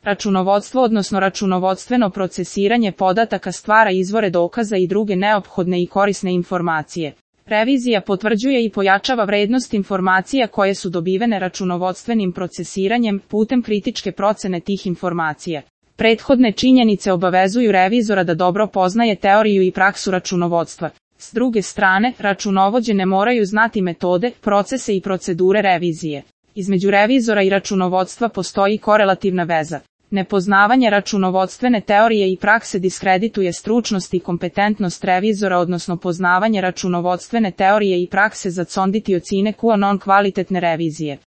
Računovodstvo odnosno računovodstveno procesiranje podataka stvara izvore dokaza i druge neophodne i korisne informacije. Revizija potvrđuje i pojačava vrednost informacija koje su dobivene računovodstvenim procesiranjem putem kritičke procene tih informacija. Prethodne činjenice obavezuju revizora da dobro poznaje teoriju i praksu računovodstva. S druge strane, računovođe ne moraju znati metode, procese i procedure revizije. Između revizora i računovodstva postoji korelativna veza. Nepoznavanje računovodstvene teorije i prakse diskredituje stručnost i kompetentnost revizora, odnosno poznavanje računovodstvene teorije i prakse zaconditi ocine non kvalitetne revizije.